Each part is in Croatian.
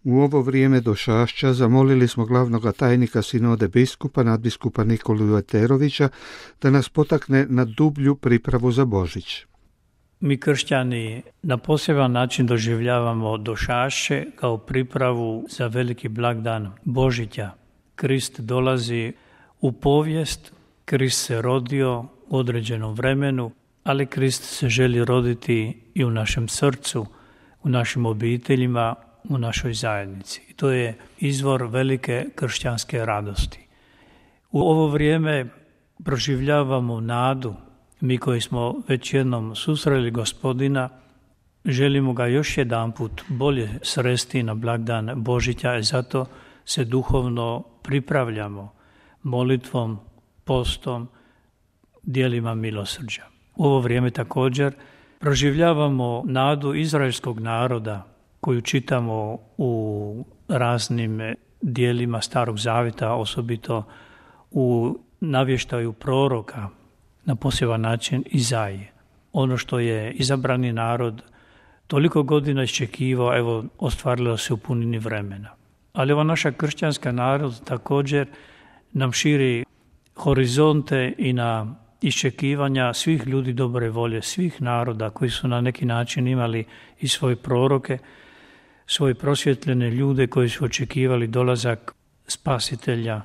U ovo vrijeme došašća zamolili smo glavnog tajnika sinode biskupa, nadbiskupa Nikolu Jeterovića, da nas potakne na dublju pripravu za Božić. Mi kršćani na poseban način doživljavamo došašće kao pripravu za veliki blagdan Božića. Krist dolazi u povijest, Krist se rodio u određenom vremenu, ali Krist se želi roditi i u našem srcu, u našim obiteljima, u našoj zajednici. I to je izvor velike kršćanske radosti. U ovo vrijeme proživljavamo nadu. Mi koji smo već jednom susreli Gospodina, želimo ga još jedanput bolje sresti na blagdan Božića i zato se duhovno pripravljamo molitvom, postom, djelima milosrđa. U ovo vrijeme također proživljavamo nadu izraelskog naroda koju čitamo u raznim dijelima Starog Zavjeta, osobito u navještaju proroka, na poseban način Izaije. Ono što je izabrani narod toliko godina iščekivao, evo, ostvarilo se u punini vremena. Ali ova naša kršćanska narod također nam širi horizonte i na iščekivanja svih ljudi dobre volje, svih naroda koji su na neki način imali i svoje proroke, svoje prosvjetljene ljude koji su očekivali dolazak spasitelja,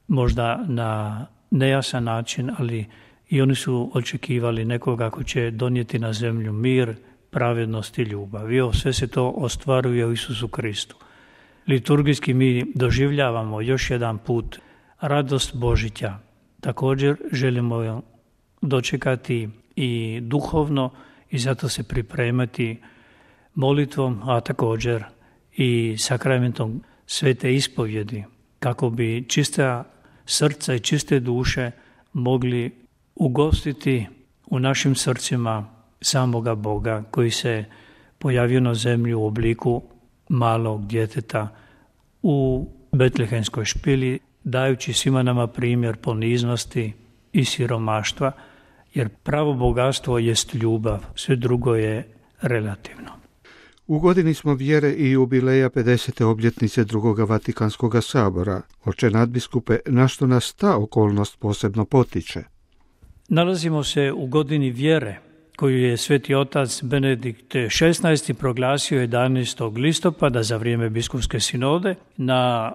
možda na nejasan način, ali i oni su očekivali nekoga ko će donijeti na zemlju mir, pravednost i ljubav. I sve se to ostvaruje u Isusu Kristu. Liturgijski mi doživljavamo još jedan put radost Božića. Također želimo dočekati i duhovno i zato se pripremati molitvom, a također i sakramentom svete ispovjedi, kako bi čista srca i čiste duše mogli ugostiti u našim srcima samoga Boga koji se pojavio na zemlji u obliku malog djeteta u betlehemskoj špili, dajući svima nama primjer poniznosti i siromaštva, jer pravo bogatstvo jest ljubav, sve drugo je relativno. U godini smo vjere i jubileja 50. obljetnice Drugoga Vatikanskog sabora. Oče nadbiskupe, na što nas ta okolnost posebno potiče? Nalazimo se u godini vjere koju je Sveti otac Benedikt XVI. Proglasio 11. listopada za vrijeme biskupske sinode na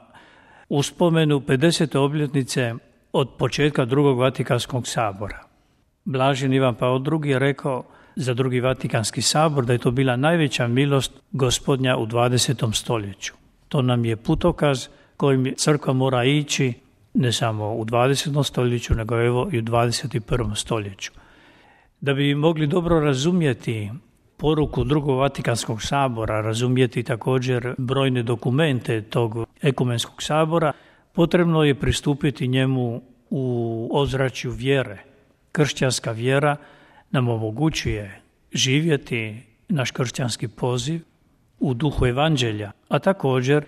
uspomenu 50. obljetnice od početka Drugog Vatikanskog sabora. Blaženi Ivan Pavao II. Je rekao za Drugi Vatikanski sabor da je to bila najveća milost Gospodnja u 20. stoljeću. To nam je putokaz kojim crkva mora ići ne samo u 20. stoljeću, nego evo i u 21. stoljeću. Da bi mogli dobro razumjeti poruku Drugog Vatikanskog sabora, razumjeti također brojne dokumente tog ekumenskog sabora, potrebno je pristupiti njemu u ozračju vjere. Kršćanska vjera nam omogućuje živjeti naš kršćanski poziv u duhu evanđelja, a također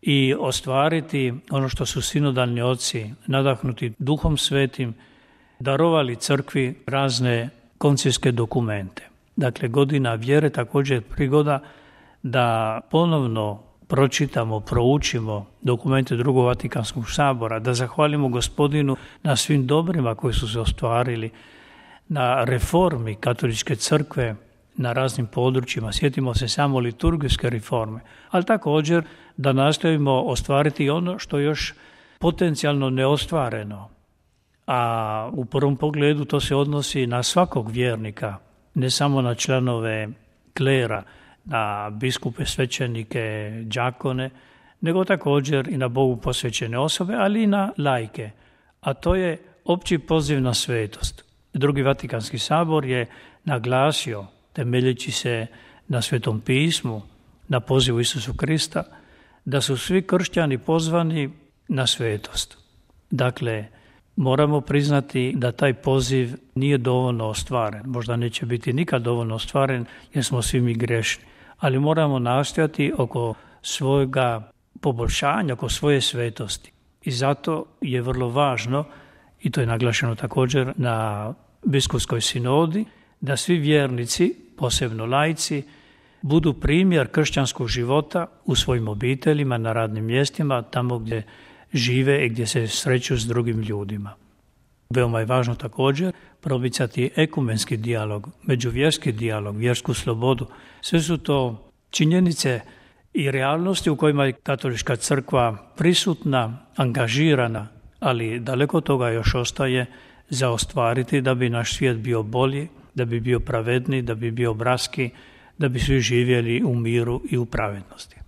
i ostvariti ono što su sinodalni oci, nadahnuti Duhom Svetim, darovali crkvi razne koncijske dokumente. Dakle, godina vjere također prigoda da ponovno pročitamo, proučimo dokumente Drugog Vatikanskog sabora, da zahvalimo Gospodinu na svim dobrima koji su se ostvarili, na reformi katoličke crkve na raznim područjima. Sjetimo se samo liturgijske reforme, ali također da nastojimo ostvariti ono što još potencijalno neostvareno. A u prvom pogledu to se odnosi na svakog vjernika, ne samo na članove klera, na biskupe, svećenike, đakone, nego također i na Bogu posvećene osobe, ali i na laike. A to je opći poziv na svetost. Drugi Vatikanski sabor je naglasio, temeljeći se na Svetom pismu, na pozivu Isusu Krista, da su svi kršćani pozvani na svetost. Dakle, moramo priznati da taj poziv nije dovoljno ostvaren. Možda neće biti nikad dovoljno ostvaren jer smo svi mi grešni. Ali moramo nastojati oko svojega poboljšanja, oko svoje svetosti. I zato je vrlo važno, i to je naglašeno također na biskupskoj sinodi, da svi vjernici, posebno laici, budu primjer kršćanskog života u svojim obiteljima, na radnim mjestima, tamo gdje žive i gdje se sreću s drugim ljudima. Veoma je važno također promicati ekumenski dijalog, međuvjerski dijalog, vjersku slobodu. Sve su to činjenice i realnosti u kojima je katolička crkva prisutna, angažirana, ali daleko toga još ostaje za ostvariti da bi naš svijet bio bolji, da bi bio pravedniji, da bi bio bratski, da bi svi živjeli u miru i u pravednosti.